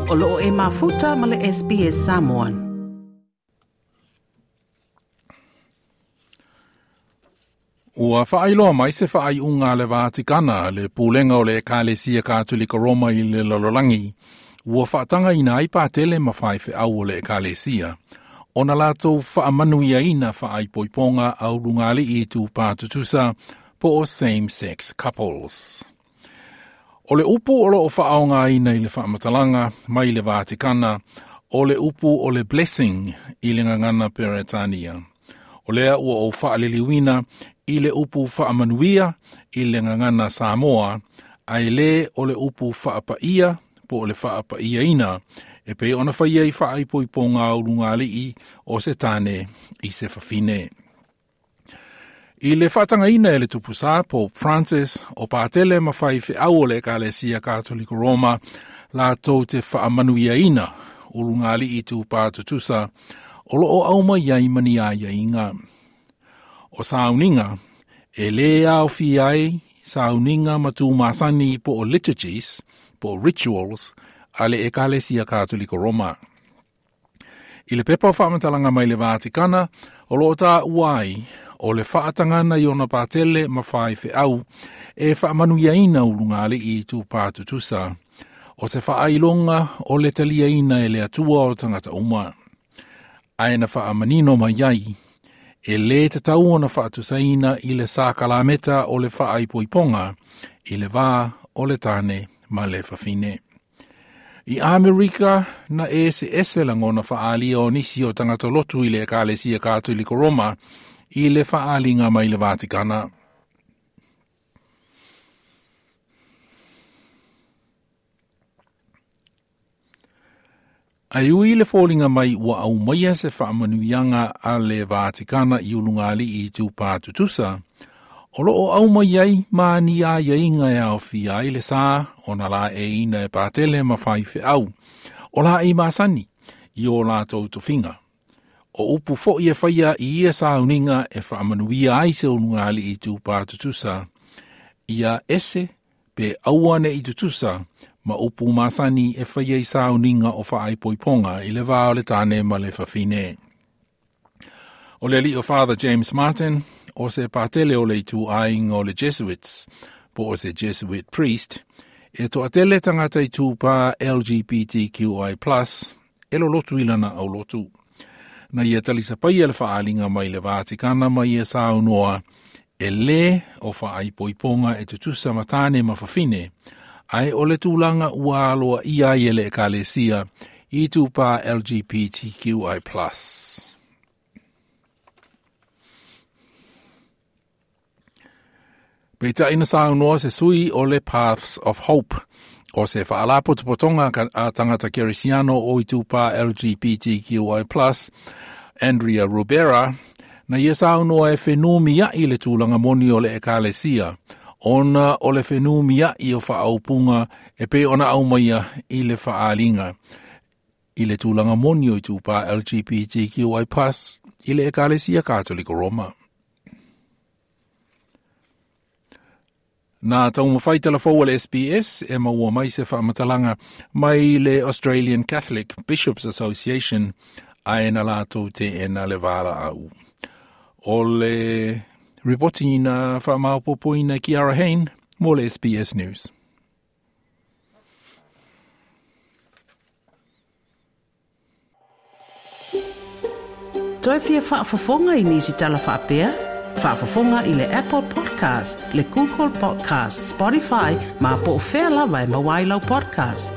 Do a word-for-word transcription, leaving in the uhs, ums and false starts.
O loo e mafuta ma le S B S Samoan. Ua whaailoa mai se whaaiunga le Vatikana le pulenga o le Ekalesia Katolika Roma i le lalolagi. Ua whaatanga ina ai pātele ma whaiwheau o le Ekalesia. Ona lātou whaamanuiaina whaaipoiponga au lungali i tūpā tutusa po o same-sex couples. O le upu o lo o whaonga ina i le whaamatalanga mai le Vatikana, o le upu o le blessing i le ngangana Peretania. O lea ua o whaaliliwina i le upu whaamanuia i le ngangana Samoa, ai le o le upu whaapaia po o le whaapaia ina, e pe ona whaia i whaaipoiponga au lungalii o se tane i se whawhine. I le whaatangaina e le tupusa Pope Francis o pātele ma whaiwheau o le Ekalesia Katoliko Roma la tau te whaamanuiaina o lungalii tūpā tutusa o loo au mai ai mani ai inga. O sauninga, e le au fi ai sauninga matu masani po o liturgies, po o rituals, a le Ekalesia Katoliko Roma. I le pepa o whaamatalanga mai le Vatikana, o loo tā uai, o le whaatangana i ona pātele ma whaiwheau e whaamanuiaina ulungali i tūpā tutusa. O se whaailonga o le taliaina e le atua o tangata uma. Ae na whaamanino mai ai, e le tatau ona whaatusaina i le sākalameta o le whaaipoiponga i le vā o le tāne ma le whawhine. I Amerika na e se ese langona whaalia o nisi o tangata lotu i le Ekalesia Katoliko Roma i le whaalinga mai le Vatikana. Ai ui le fōlinga mai ua au maia se whaamanuianga a le Vatikana i ulungali i tūpā tutusa, o loo au mai ai ma ni a ieinga e au fia ai le sā o na la e ina e pātele ma whaiwheau, o la e masani i o lātou tofinga. O upu fo i e whaia i ia sauninga e whaamanuia ai se ulungali i tūpā tutusa, ia ese pe auane i tutusa, ma upu masani e whaia i sauninga o whaaipoiponga i le vā o le tāne ma le whawhine. O le li o Father James Martin, o se pātele o le itu ainga o le Jesuits, po o se Jesuit priest, e toa tele tangata i tūpā L G B T Q I plus, e lo lotu ilana au lotu. Na ia talisa pai e le whaalinga mai le Vatikana mai e saunoa, e le o whaaipoiponga e tutusa matane ma whawhine, ai o le tūlanga ua aloa ia i le Ekalesia i tūpā L G B T Q I plus. Peita ina saunoa se sui o le Paths of Hope, o se whaalapotopotonga a tangata kerisiano o i tūpā L G B T Q I plus, Andrea Rubera, na ia saunoa e whenumi ai le tūlanga moni o le Ekalesia, ona o le whenumi ai o whaaupunga e pe ona au maia i le whaalinga, i le tūlanga moni o i tūpā L G B T Q I plus i le Ekalesia Katoliko Roma. Nā taumawhai talafou o le S B S e maua mai se whaamatalanga mai le Australian Catholic Bishops Association a e na lātou te e na le wāla au. O le ripoti na whaamaupopoina Kiara Hain mō le S B S News. Toi fia whaafafonga i nisi tala whaapea? Whaafafonga i le Apple Podcast, le Google Podcast, Spotify, ma po o whea lawa e mawailau podcast.